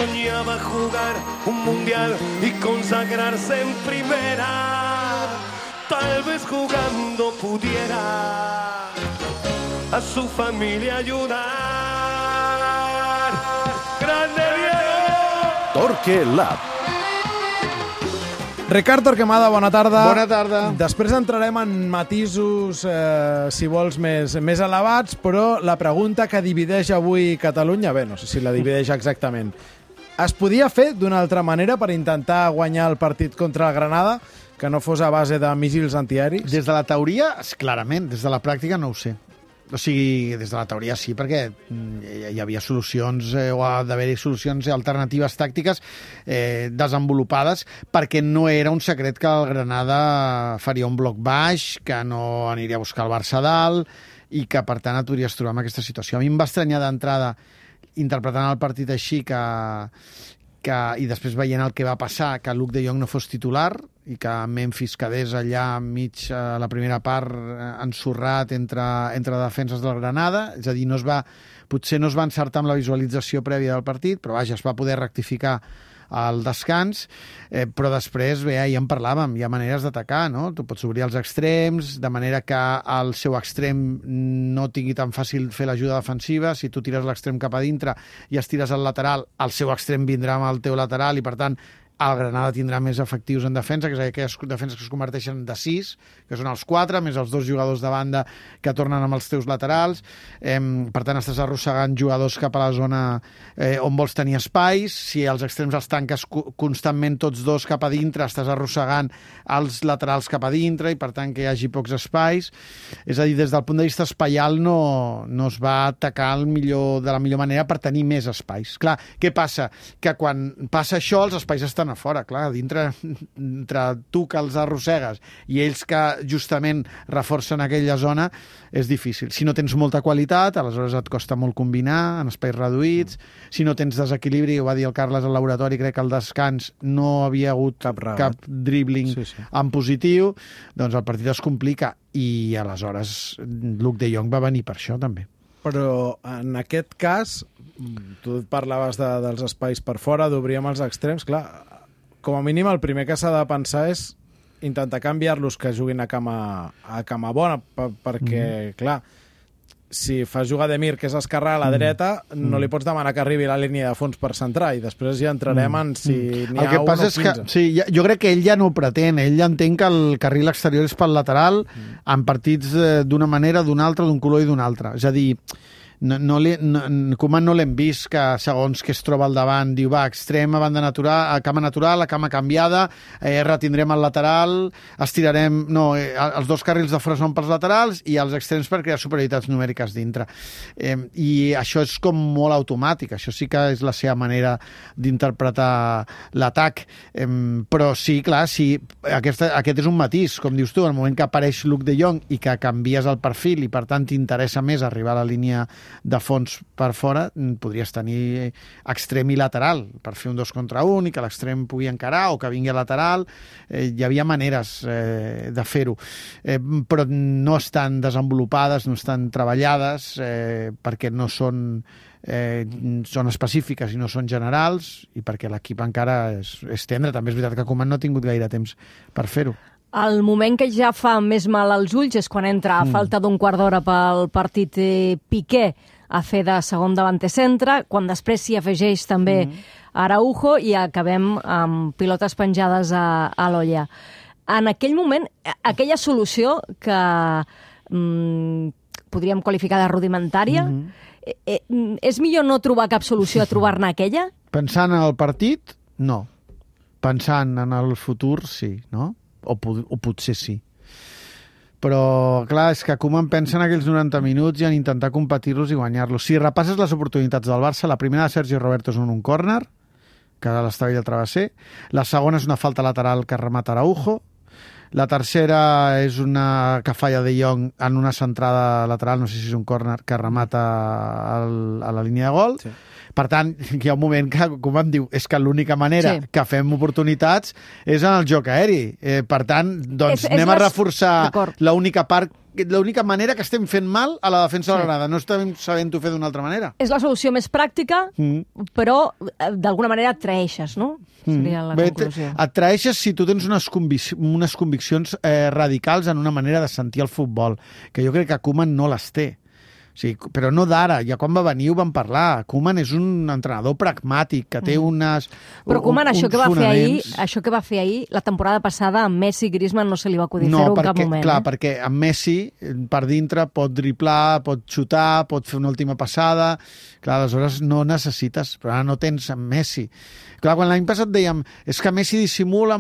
soñaba jugar un mundial y consagrarse en primera. Tal vez jugando pudiera a su familia ayudar. ¡Grande Diego! Torque Lab. Ricard Torquemada, bona tarda. Bona tarda. Després entrarem en matisos, si vols, més elevats, però la pregunta que divideix avui Catalunya, bé, no sé si la divideix exactament, es podia fer d'una altra manera per intentar guanyar el partit contra el Granada, que no fos a base de míssils antiaèrics? Des de la teoria, clarament. Des de la pràctica no ho sé. O sigui, des de la teoria sí, perquè hi havia solucions, o ha d'haver-hi solucions alternatives tàctiques desenvolupades, perquè no era un secret que el Granada faria un bloc baix, que no aniria a buscar el Barça a dalt, i que, per tant, et podries trobar en aquesta situació. A mi em va estranyar d'entrada, interpretant el partit així, i després veient el que va passar, que Luuk de Jong no fos titular i que Memphis quedés allà enmig a la primera part ensorrat entre defenses del Granada, és a dir, potser no es va encertar amb la visualització prèvia del partit, però vaja, es va poder rectificar al descans, però després, bé, ja en parlàvem, hi ha maneres d'atacar, no? Tu pots obrir els extrems, de manera que el seu extrem no tingui tan fàcil fer l'ajuda defensiva. Si tu tires l'extrem cap a dintre i estires al lateral, el seu extrem vindrà amb el teu lateral i, per tant, el Granada tindrà més efectius en defensa, que és aquelles defenses que es converteixen de 6, que són els 4, més els 2 jugadors de banda que tornen amb els teus laterals. Per tant, estàs arrossegant jugadors cap a la zona on vols tenir espais. Si els extrems els tanques constantment tots dos cap a dintre, estàs arrossegant els laterals cap a dintre i, per tant, que hi hagi pocs espais. És a dir, des del punt de vista espaial no es va atacar de la millor manera per tenir més espais. Clar, què passa? Que quan passa això, els espais estan a fora, clar, dintre entre tu que els arrossegues i ells que justament reforcen aquella zona, és difícil. Si no tens molta qualitat, aleshores et costa molt combinar en espais reduïts. Si no tens desequilibri, ho va dir el Carles al laboratori, crec que al descans no havia hagut cap dribbling en positiu, doncs el partit es complica i aleshores Luuk de Jong va venir per això també. Però en aquest cas, tu parlaves dels espais per fora, d'obrir amb els extrems, clar, com a mínim el primer que s'ha de pensar és intentar canviar-los que juguin a cama bona, perquè, clar, si fas jugar Demir, que és esquerrà a la dreta, no li pots demanar que arribi a la línia de fons per centrar, i després ja entrarem en si n'hi ha 1 o 15. El que passa és que, sí, jo crec que ell ja no ho pretén, ell ja entén que el carril exterior és pel lateral, en partits d'una manera, d'una altra, d'un color i d'un altre. És a dir, Koeman no l'hem vist que segons que es troba al davant diu, va, extrem a banda natural, a cama canviada, retindrem el lateral, estirarem... No, els 2 carrils de fora són pels laterals i els extrems per crear superioritats numèriques dintre. I això és com molt automàtic, això sí que és la seva manera d'interpretar l'atac. Però sí, clar, sí, aquest és un matís, com dius tu, en el moment que apareix Luuk de Jong i que canvies el perfil i per tant t'interessa més arribar a la línia de fons per fora, podries tenir extrem i lateral per fer un 2 contra 1 i que l'extrem pugui encarar o que vingui a lateral. Hi havia maneres de fer-ho, però no estan desenvolupades, no estan treballades, perquè no són específiques i no són generals, i perquè l'equip encara és tendre. També és veritat que Koeman no ha tingut gaire temps per fer-ho. El moment que ja fa més mal als ulls és quan entra a falta d'un quart d'hora pel partit Piqué a fer de segon davanter centre, quan després s'hi afegeix també Araujo i acabem amb pilotes penjades a l'olla. En aquell moment, aquella solució que podríem qualificar de rudimentària, és millor no trobar cap solució a trobar-ne aquella? Pensant en el partit, no. Pensant en el futur, sí, no? O potser sí. Però, clar, és que Koeman pensa en aquells 90 minuts i en intentar competir-los i guanyar-los. Si repasses les oportunitats del Barça, la primera de Sergio Roberto és un córner, que l'estava ell al travesser. La segona és una falta lateral que remata Araujo. La tercera és una que falla de Jong en una centrada lateral, no sé si és un córner, que remata a la línia de gol. Sí. Per tant, hi ha un moment que, com em diu, és que l'única manera que fem oportunitats és en el joc aeri. Per tant, doncs anem a reforçar l'única part l'única manera que estem fent mal a la defensa de la Granada. No estem sabent-ho fer d'una altra manera. És la solució més pràctica, però d'alguna manera et traeixes, no? Seria la conclusió. Et traeixes si tu tens unes conviccions radicals en una manera de sentir el futbol, que jo crec que Koeman no les té. O sigui, però no d'ara, ja quan va venir ho vam parlar. Koeman és un entrenador pragmàtic, que té Però Koeman, això que va fer ahir, la temporada passada, amb Messi i Griezmann no se li va acudir fer-ho en cap moment. Clar, perquè amb Messi, per dintre, pot driblar, pot xutar, pot fer una última passada. Clar, aleshores no necessites, però ara no tens amb Messi. Clar, quan l'any passat dèiem és que Messi dissimula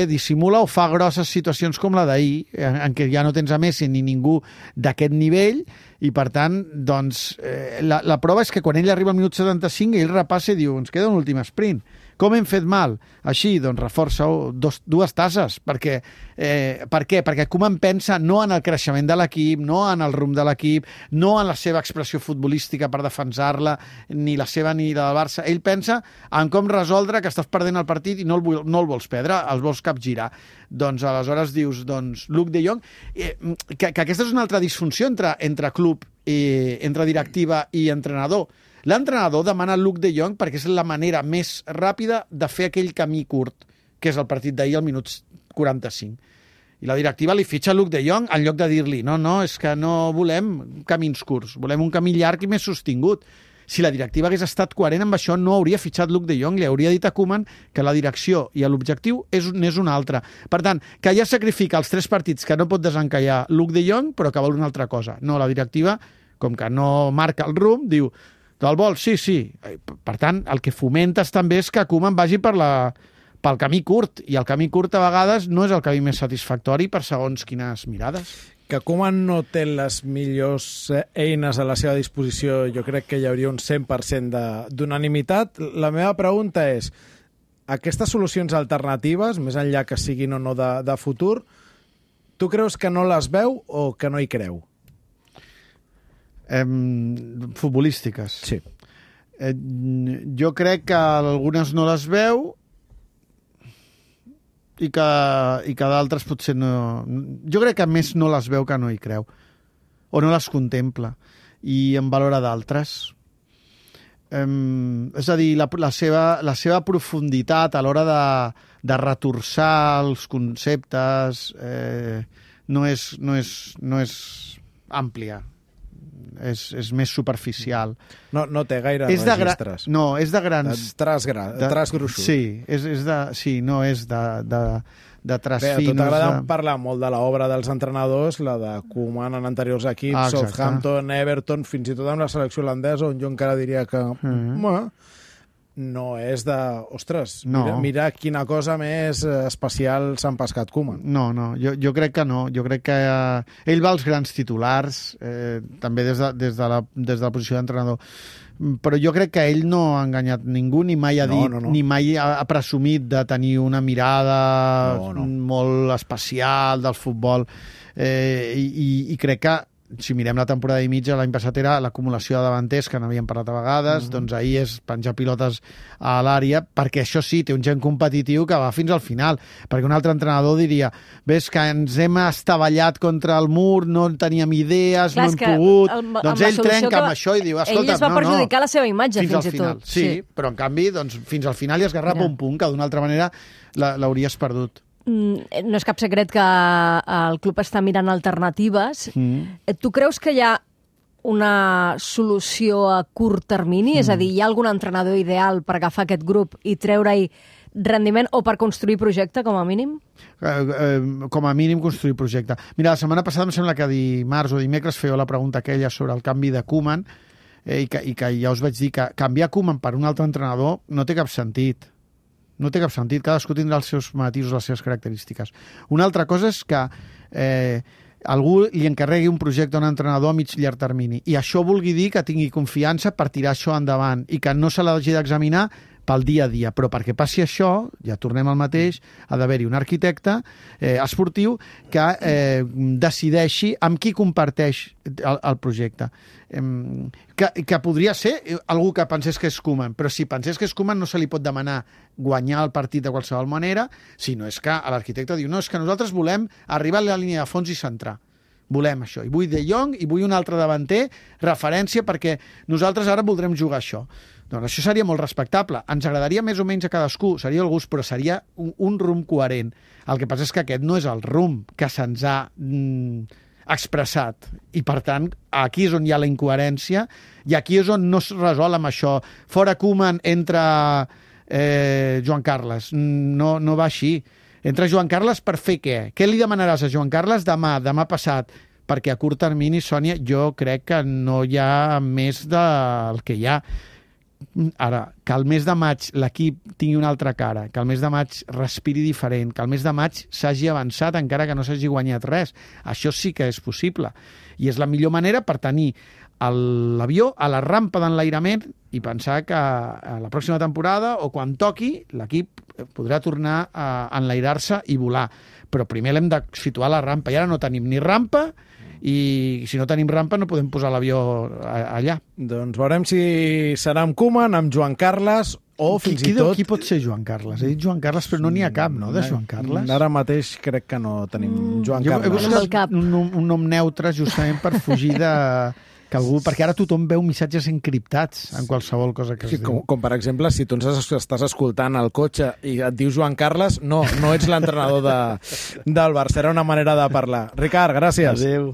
dissimula o fa grosses situacions com la d'ahir, en què ja no tens a Messi ni ningú d'aquest nivell, i per tant, doncs, la prova és que quan ell arriba al minut 75 ell repassa i diu, ens queda un últim sprint. Com hem fet mal? Així, doncs, reforça dues tasses. Per què? Perquè Koeman pensa no en el creixement de l'equip, no en el rumb de l'equip, no en la seva expressió futbolística per defensar-la, ni la seva ni la del Barça. Ell pensa en com resoldre que estàs perdent el partit i no el vols perdre, el vols capgirar. Doncs aleshores dius, Luuk de Jong, que aquesta és una altra disfunció entre club, entre directiva i entrenador. L'entrenador demana Luuk de Jong perquè és la manera més ràpida de fer aquell camí curt, que és el partit d'ahir al minut 45. I la directiva li fitxa Luuk de Jong en lloc de dir-li no, és que no volem camins curts, volem un camí llarg i més sostingut. Si la directiva hagués estat coherent amb això, no hauria fitxat Luuk de Jong, li hauria dit a Koeman que la direcció i l'objectiu n'és una altra. Per tant, que ja sacrifica els 3 partits que no pot desencallar Luuk de Jong, però que vol una altra cosa. No, la directiva, com que no marca el rumb, diu te'l vols? Sí. Per tant, el que fomentes també és que Koeman vagi pel camí curt, i el camí curt a vegades no és el camí més satisfactori per segons quines mirades. Que Koeman no té les millors eines a la seva disposició, jo crec que hi hauria un 100% d'unanimitat. La meva pregunta és, aquestes solucions alternatives, més enllà que siguin o no de futur, tu creus que no les veu o que no hi creu? Futbolístiques. Sí. Jo crec que algunes no les veu i que d'altres potser no... Jo crec que més no les veu que no hi creu. O no les contempla. I en valora d'altres. És a dir, la seva profunditat a l'hora de retorçar els conceptes no és àmplia. És més superficial. No té gaire registres. No, és de grans... Tras gruixut. Sí, és de tras finos. Bé, a tu t'agrada parlar molt de l'obra dels entrenadors, la de Koeman en anteriors equips, Southampton, Everton, fins i tot amb la selecció holandesa, on jo encara diria que no és de... Ostres, mira quina cosa més especial s'ha empescat Koeman. No, jo crec que no. Jo crec que ell va als grans titulars, també des de la posició d'entrenador. Però jo crec que ell no ha enganyat ningú, ni mai ha dit, ni mai ha presumit de tenir una mirada molt especial del futbol. I crec que si mirem la temporada i mitja, l'any passat era l'acumulació de davanters, que n'havíem parlat a vegades, doncs ahir és penjar pilotes a l'àrea, perquè això sí, té un gent competitiu que va fins al final, perquè un altre entrenador diria, ves que ens hem estavellat contra el mur, no teníem idees, no hem pogut... Doncs ell trenca amb això i diu, escolta, ell es va perjudicar la seva imatge, fins i tot. Sí, però en canvi, doncs, fins al final hi esgarrapa un punt que d'una altra manera l'hauries perdut. No és cap secret que el club està mirant alternatives. Tu creus que hi ha una solució a curt termini? És a dir, hi ha algun entrenador ideal per agafar aquest grup i treure-hi rendiment o per construir projecte, com a mínim? Com a mínim construir projecte. Mira, la setmana passada em sembla que dimarts o dimecres fèieu la pregunta aquella sobre el canvi de Koeman i que ja us vaig dir que canviar Koeman per un altre entrenador no té cap sentit. No té cap sentit, cadascú tindrà els seus matisos, les seves característiques. Una altra cosa és que algú li encarregui un projecte a un entrenador a mig llarg termini i això vulgui dir que tingui confiança per tirar això endavant i que no se l'hagi d'examinar pel dia a dia, però perquè passi això, ja tornem al mateix, ha d'haver-hi un arquitecte esportiu que decideixi amb qui comparteix el projecte. Que podria ser algú que pensés que és Koeman, però si pensés que és Koeman no se li pot demanar guanyar el partit de qualsevol manera, sinó és que l'arquitecte diu, no, és que nosaltres volem arribar a la línia de fons i centrar. Volem això. I vull De Jong i vull un altre davanter, referència, perquè nosaltres ara voldrem jugar això. Doncs això seria molt respectable. Ens agradaria més o menys a cadascú, seria el gust, però seria un rumb coherent. El que passa és que aquest no és el rumb que se'ns ha expressat. I, per tant, aquí és on hi ha la incoherència i aquí és on no es resol amb això. Fora Koeman, entra Joan Carles. No va així. Entra Joan Carles per fer què? Què li demanaràs a Joan Carles demà passat? Perquè a curt termini, Sònia, jo crec que no hi ha més del que hi ha. Ara, que el mes de maig l'equip tingui una altra cara, que el mes de maig respiri diferent, que el mes de maig s'hagi avançat encara que no s'hagi guanyat res. Això sí que és possible. I és la millor manera per tenir l'avió a la rampa d'enlairament i pensar que a la pròxima temporada o quan toqui l'equip podrà tornar a enlairar-se i volar. Però primer l'hem de situar a la rampa i ara no tenim ni rampa i si no tenim rampa no podem posar l'avió allà. Doncs veurem si serà amb Koeman, amb Joan Carles o fins i tot... Qui pot ser Joan Carles? He dit Joan Carles, però no n'hi ha cap, no, de Joan Carles? Ara mateix crec que no tenim Joan Carles. He buscat un nom neutre justament per fugir de... que algú, perquè ara tothom veu missatges encriptats en qualsevol cosa que es diu. Com per exemple, si tu ens estàs escoltant al cotxe i et dius Joan Carles, no ets l'entrenador del Barça, era una manera de parlar. Ricard, gràcies. Adéu.